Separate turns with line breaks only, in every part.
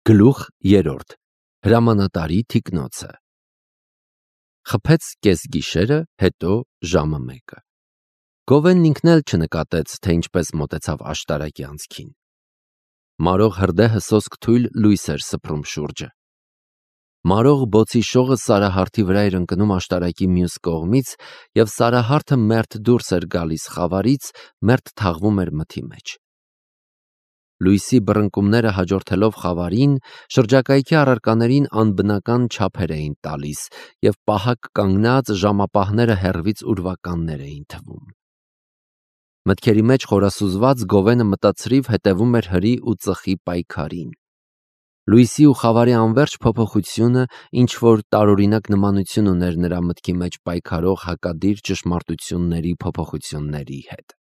Գլուխ 3. Հրամանատարի թիկնոցը։ Խփեց կեսգիշերը, հետո ժամը 1. Գովենն ինքն էլ չնկատեց, թե ինչպես մոտեցավ աշտարակի անցքին։ Մարող հրդեհը սոսկ թույլ լույս էր սփռում շուրջը։ Մարող բոցի շողը Սարահարթի վրա էր ընկնում աշտարակի մյուս կողմից, և Սարահարթը մերթ դուրս էր գալիս խավարից, մերթ թաղվում էր մթի մեջ։ Լույսի բռնկումները հաջորդելով խավարին, շրջակայքի առարկաներին անբնական չափեր էին տալիս, և պահակ կանգնած ժամապահները հեռվից ուրվականներ էին թվում։ Մտքերի մեջ խորասուզված Գովենը մտածրիվ հետևում էր հրի ու ծխի պայքարին։ Լույսի ու խավարի անվերջ փոփոխությունը ինչ-որ տարօրինակ նմանություն ուներ նրա մտքի մեջ պայքարող հակադիր ճշմարտությունների փոփոխությունների հետ։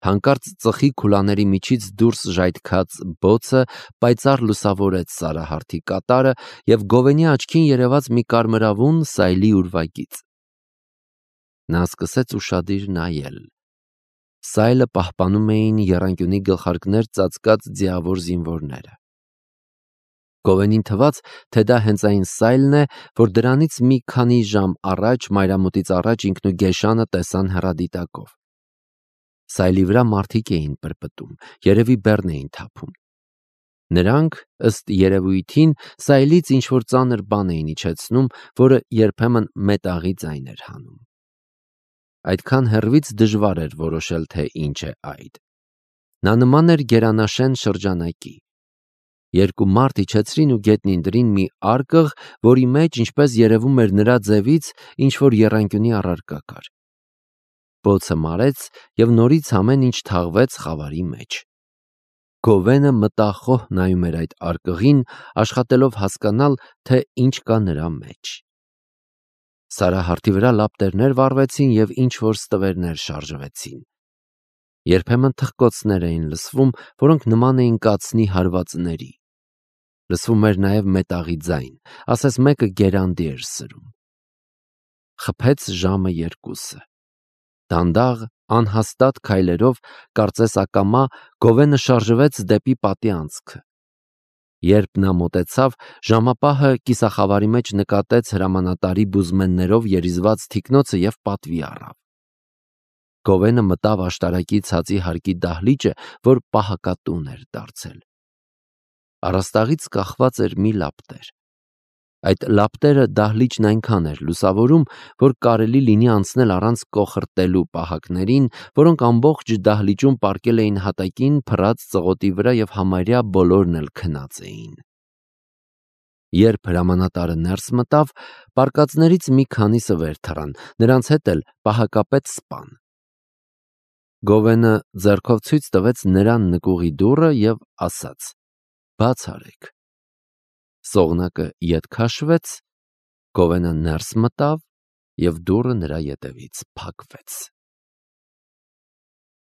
Հանկարծ ծխի քուլաների միջից դուրս ժայթքած բոցը պայծառ լուսավորեց Սարահարթի կատարը, և Գովենի աչքին երևաց մի կարմրավուն սայլի ուրվագիծ։ Նա սկսեց ուշադիր նայել։ Սայլը պահպանում էին եռանկյունի գլխարկներ ծածկած ձիավոր զինվորները։ Գովենին թվաց, թե դա հենց այն սայլն է, որ դրանից մի քանի ժամ առաջ, մայրամուտից առաջ ինքն ու Գեշանը տեսան հեռադիտակով։ Սայլի վրա մարդիկ էին պրպտում, երևի բեռն էին թափում։ Նրանք, ըստ երևույթին, սայլից ինչ-որ ծանր բան էին իջեցնում, որը երբեմն մետաղի ձայն էր հանում։ Այդքան հեռվից դժվար էր որոշել, թե ինչ է այդ։ Նա նման էր գերանաշեն շրջանակի։ Երկու մարդ իջեցրին ու գետնին դրին մի արկղ, որի մեջ, ինչպես երևում էր նրա ձևից, ինչ-որ եռանկյունի առարկա կար։ Բոցը մարեց, և նորից ամեն ինչ թաղվեց խավարի մեջ։ Գովենը մտախոհ նայում էր այդ արկղին, աշխատելով հասկանալ, թե ինչ կա նրա մեջ։ Սարահարթի վրա լապտերներ վառվեցին և ինչ-որ ստվերներ շարժվեցին։ Երբեմն թխկոցներ էին լսվում, որոնք նման էին կացնի հարվածների։ Լսվում էր նաև մետաղի ձայն, ասես մեկը գերանდი էր սրում։ Խփեց ժամը 2. Դանդաղ, անհաստատ քայլերով, կարծես ակամա, Գովենը շարժվեց դեպի պատի անցքը։ Երբ նա մոտեցավ, ժամապահը կիսախավարի մեջ նկատեց հրամանատարի բուզմեններով երիզված թիկնոցը և պատվի առավ։ Գովենը մտավ աշտարակի ցածի հարկի դահլիճը, որ պահակատուն էր դարձել։ Առաստաղից կախված էր մի լապտեր։ Այդ լապտերը դահլիճն այնքան էր լուսավորում, որ կարելի լինի անցնել առանց կոխրտելու պահակներին, որոնք ամբողջ դահլիճում պառկել էին հատակին փռած ծղոտի վրա և համարյա բոլորն էլ քնած էին։ Երբ հրամանատարը ներս մտավ, պառկածներից մի քանիսը վեր թռան, նրանց հետ էլ պահակապետ սպան։ Գովենը ձեռքով ցույց տվեց նրան նկուղի դուռը և ասաց. «Բաց արեք»։ Սողնակը ետ քաշվեց, Գովենը ներս մտավ, և դուռը նրա ետևից փակվեց։